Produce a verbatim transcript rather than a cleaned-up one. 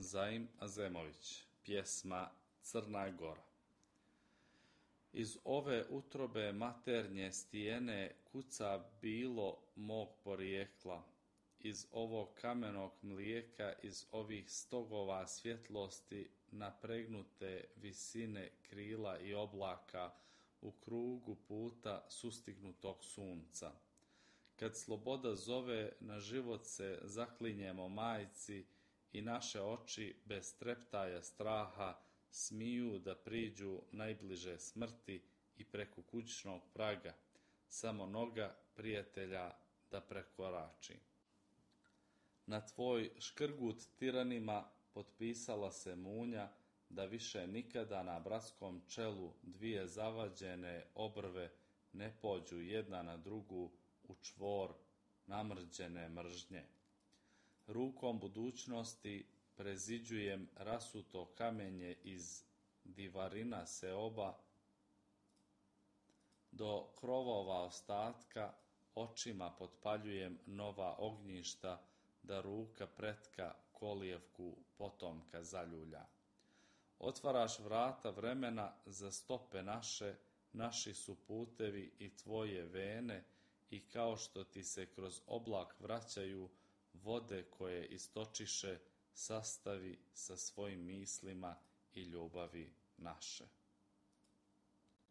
Zaim Azemović, pjesma Crna Gora. Iz ove utrobe maternje stijene kuca bilo mog porijekla, iz ovog kamenog mlijeka, iz ovih stogova svjetlosti napregnute visine krila i oblaka u krugu puta sustignutog sunca. Kad sloboda zove, na život se zaklinjemo majci i naše oči bez treptaja straha smiju da priđu najbliže smrti i preko kućnog praga, samo noga prijatelja da prekorači. Na tvoj škrgut tiranima potpisala se munja da više nikada na bratskom čelu dvije zavađene obrve ne pođu jedna na drugu u čvor namrđene mržnje. Rukom budućnosti preziđujem rasuto kamenje iz divarina seoba do krovova ostatka, očima potpaljujem nova ognjišta da ruka pretka kolijevku potomka zaljulja. Otvaraš vrata vremena za stope naše, naši su putevi i tvoje vene i kao što ti se kroz oblak vraćaju vode koje istočiše, sastavi sa svojim mislima i ljubavi naše.